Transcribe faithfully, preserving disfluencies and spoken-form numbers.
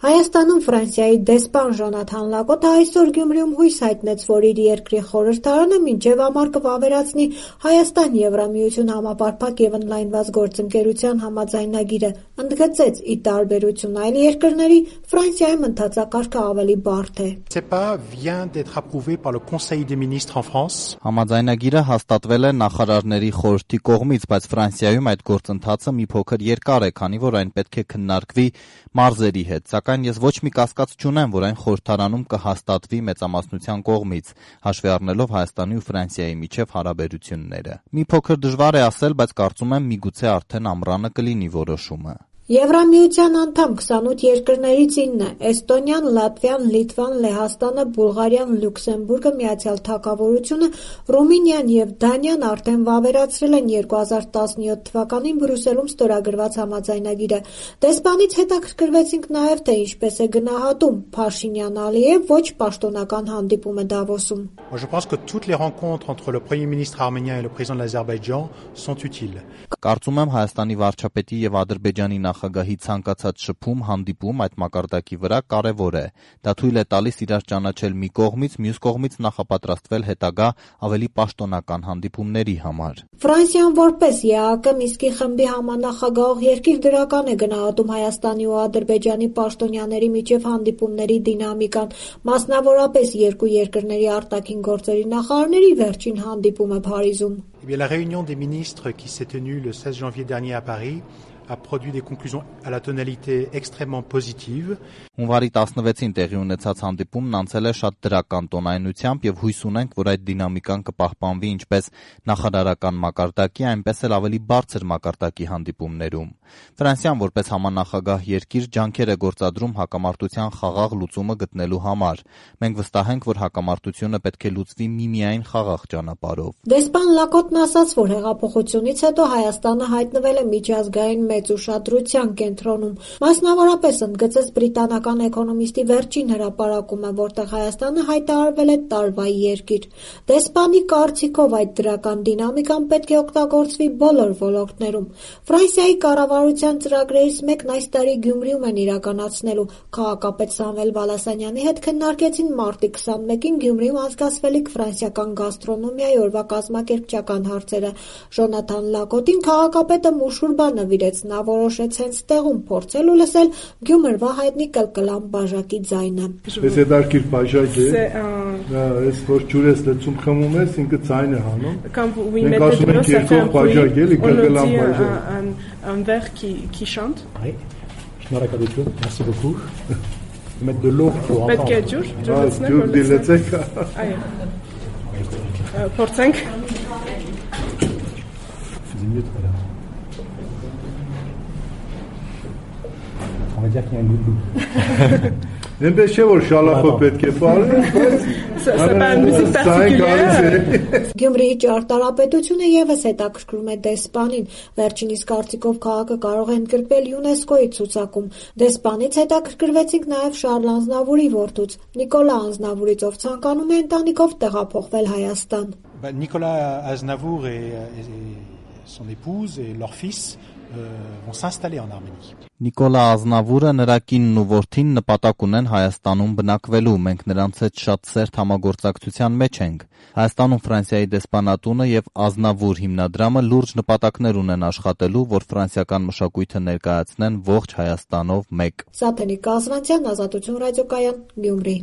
Հայաստանում Ֆրանսիայի դեսպան Ժոնաթան Լակոտը այսօր Գյումրիում հույս հայտնեց, որ իր երկրի խորհրդարանը մինչև ամառ կվավերացնի Հայաստան-Եվրամիություն համապարփակ և ընդլայնված գործընկերության համաձայնագիրը, ընդգծեց՝ ի տարբերություն այլ երկրների, Ֆրանսիայում ընթացակարգը ավելի բարդ է։ Համաձայնագիրը հաստատվել է նախարարների խորհրդի կողմից, բայց Ֆրանսիայում այդ գործընթացը մի փոքր երկար է, քանի որ այն պետք է քննարկվի մարզերի հետ, սակայն ես ոչ մի կասկած չունեմ, որ այն խորհրդարանում կհաստատվի մեծամասնության կողմից, հաշվի առնելով Հայաստանի ու Ֆրանսիայի միջև հարաբերությունները։ Մի փոքր դժվար է ասել, բայց կարծում եմ միգուցե արդեն ամռանը կլինի որոշումը։ Եվրամիության անդամ քսանութ երկրներից ինը՝ Էստոնիան, Լատվիան, Լիտվան, Լեհաստանը, Բուլղարիան, Լյուքսեմբուրգը, Միացյալ Թագավորությունը, Ռումինիան և Դանիան արդեն վավերացրել են երկու հազար տասնյոթ թվականին Բրյուսելում ստորագրված համաձայնագիրը։ Դեսպանից հետաքրքրվեցինք նաև, թե ինչպես է գնահատում Փաշինյան-Ալիև ոչ պաշտոնական հանդիպումը Դավոսում։ Կարծում եմ Հայաստանի վարչապետի և Ադրբեջանի նախագահի ցանկացած շփում, հանդիպում այդ մակարդակի վրա կարևոր է։ Դա թույլ է տալիս իրար ճանաչել մի կողմից, մյուս կողմից նախապատրաստվել հետագա ավելի պաշտոնական հանդիպումների համար։ Ֆրանսիան որպես ԵԱԿ Մինսկի խմբի համանախագահող երկիր դրական է գնահատում Հայաստանի ու Ադրբեջանի պաշտոնյաների միջև հանդիպումների դինամիկան, մասնավորապես երկու երկրների արտաքին գործերի նախարարների վերջին հանդիպումը Փարիզում։ La réunion des ministres qui s'est tenue le seize janvier dernier à Paris a produit des conclusions à la tonalité extrêmement positive. Հունվարի տասնվեցին տեղի ունեցած հանդիպումն անցել է շատ դրական տոնայնությամբ և հույս ունենք, որ այդ դինամիկան կպահպանվի ինչպես նախարարական մակարդակի, այնպես էլ ավելի բարձր մակարդակի հանդիպումներում։ Ֆրանսիան որպես համանախագահ երկիր ջանքեր է գործադրում հակամարտության խաղաղ լուծումը գտնելու համար։ Մենք վստահ ենք, որ հակամարտությունը պետք է լուծվի միմիայն խաղաղ ճանապարհով։ Դեսպան Լակոտն ասաց, որ հեղափոխությունից հետո Հայաստանը հայտնվել է միջազգային մեծ ուշադրության կենտրոնում։ Մասնավորապես ընդգծեց բրիտանական էկոնոմիստի վերջին հրապարակումը, որտեղ Հայաստանը հայտարարվել է տարվա երկիր։ Դեսպանի կարծիքով այդ դրական դինամիկան պետք է օգտագործվի բոլոր ոլորտներում։ Ֆրանսիայի կառավարության ծրագրերից մեկն այս տարի Գյումրիում են իրականացնելու։ Քաղաքապետ Սամվել Բալասանյանի հետ քննարկեցին մարտի քսանմեկին Գյումրիում անցկացվելիք ֆրանսիական գաստրոնոմիայի օրվա կազմակերպչական հարցերը։ Ժոնաթան Լակոտին քաղաքապետը մուշուր բան նվիրեց, նա որոշեց հենց տեղում փորձել ու լսել Գյումրվա հայտնի կլկլան բաժակի ձայնը։ Այս հետարքիր բաժակ է, այս որ ջուրես լցում խմում ես, ինքը ձայն է հանում։ Մենք ասում ենք երկով բաժակ էլի, կլկլան բաժակ։ Un verre qui, qui chante. Oui, շնորհակալություն, merci beaucoup. Mettre de l'eau pour entendre. Պետք է ջուր, ջուրեցնեք, ջուր դիլեցեք։ Այո։ Փորձենք։ Faisais mieux tout à l'heure. On va dire qu'il y a un loulou. Այնպես չէ որ շալախով պետք է պարել, բայց Գյումրիի ճարտարապետությունը ևս հետաքրքրում է դեսպանին։ Վերջինիս կարծիքով քաղաքը կարող է ընդգրկվել ՅՈՒՆԵՍԿՕ-ի ցուցակում։ Դեսպանից հետաքրքրվեցինք նաև Շարլ Ազնավուրի որդուց, Նիկոլա Ազնավուրից, ով ցանկանում է ընտանիքով տեղափոխվել Հայաստան։ Nicolas Aznavour et son épouse et leur fils vont s'installer en Arménie. Նիկոլա Ազնավուրը, նրա կինն ու որդին նպատակ ունեն Հայաստանում բնակվելու, մենք նրանց հետ շատ սերտ համագործակցության մեջ ենք։ Հայաստանում Ֆրանսիայի դեսպանատունը և Ազնավուր հիմնադրամը լուրջ նպատակներ ունեն աշխատելու, որ ֆրանսիական մշակույթը ներկայացնեն ողջ Հայաստանով մեկ։ Սաթենիկ Կազրանցյան, Ազատություն ռադիոկայան, Գյումրի։